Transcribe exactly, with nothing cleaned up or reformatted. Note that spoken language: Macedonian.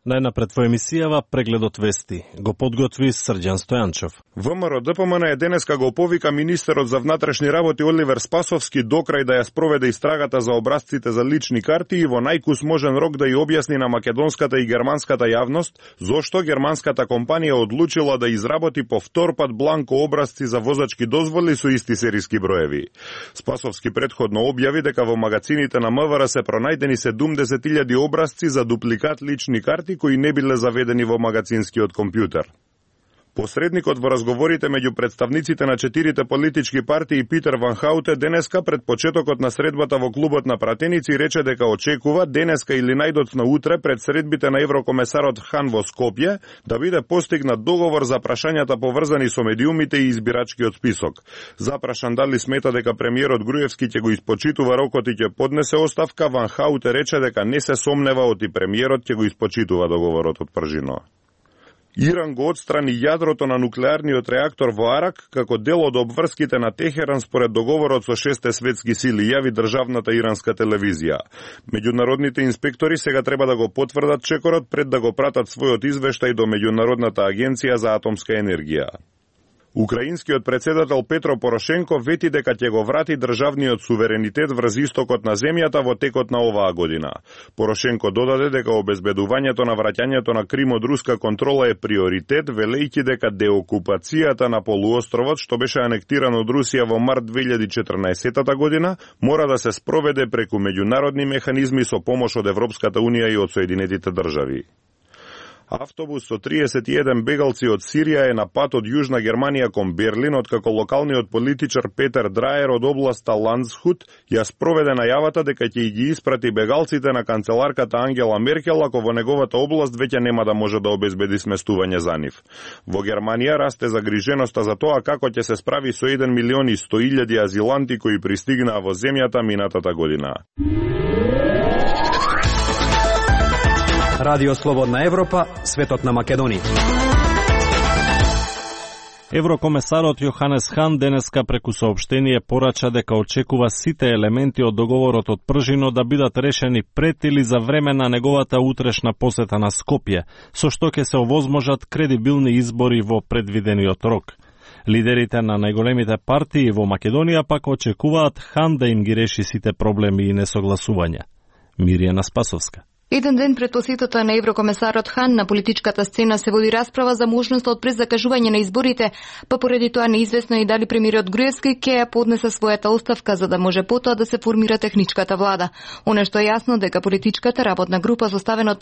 Најнапред во емисијава прегледот вести го подготви Срđan Стојанчов. ВМРО-ДПМН е денеска го повика министерот за внатрешни работи Оливер Спасовски докрај да ја спроведе истрагата за образците за лични карти и во најкус можен рок да ја објасни на македонската и германската јавност зошто германската компанија одлучила да изработи повтор пат бланко образци за возачки дозволи со исти сериски броеви. Спасовски претходно објави дека во магазините на МВР се пронајдени седумдесет илјади образци за дупликат лични карти кои не биле заведени во магазинскиот компјутер. Посредникот во разговорите меѓу представниците на четирите политички партии Питер Ван Хауте денеска пред почетокот на средбата во клубот на пратеници рече дека очекува денеска или најдоцна утре пред средбите на еврокомесарот Хан во Скопје да биде постигнат договор за прашањата поврзани со медиумите и избирачкиот список. Запрашан дали смета дека премиерот Груевски ќе го испочитува рокот и ќе поднесе оставка, Ван Хауте рече дека не се сомнева оти премиерот ќе го испочитува договорот од пржино. Иран го отстрани јадрото на нуклеарниот реактор во Арак како дел од обврските на Техеран според договорот со шесте светски сили, јави државната иранска телевизија. Меѓународните инспектори сега треба да го потврдат чекорот пред да го пратат својот извештај до Меѓународната агенција за атомска енергија. Украинскиот председател Петро Порошенко вети дека ќе го врати државниот суверенитет врз истокот на земјата во текот на оваа година. Порошенко додаде дека обезбедувањето на враќањето на Крим од руска контрола е приоритет, велејќи дека деокупацијата на полуостровот, што беше анектиран од Русија во март две илјади и четрнаесетта година, мора да се спроведе преку меѓународни механизми со помош од Европската унија и од Соединетите држави. Автобус со триесет и еден бегалци од Сирија е на пат од Јужна Германија кон Берлин, откако локалниот политичар Петер Драер од областа Ландсхут ја спроведе најавата дека ќе ги испрати бегалците на канцеларката Ангела Меркел ако во неговата област веќе нема да може да обезбеди сместување за нив. Во Германија расте загриженоста за тоа како ќе се справи со еден милион и сто илјади азиланти кои пристигнаа во земјата минатата година. Радио Слободна Европа, светот на Македонија. Еврокомесарот Јоханес Хан денеска преку соопштение порача дека очекува сите елементи од договорот од пржино да бидат решени пред или за време на неговата утрешна посета на Скопје, со што ќе се овозможат кредибилни избори во предвидениот рок. Лидерите на најголемите партии во Македонија пак очекуваат Хан да им ги реши сите проблеми и несогласувања. Миријана Спасовска. Еден ден пред посетата на еврокомесарот Хан на политичката сцена се води расправа за можноста од презакажување на изборите, па поради тоа неизвестно и дали премиерот Груевски ќе ја поднесе својата оставка за да може потоа да се формира техничката влада. Оно што е јасно дека политичката работна група составена од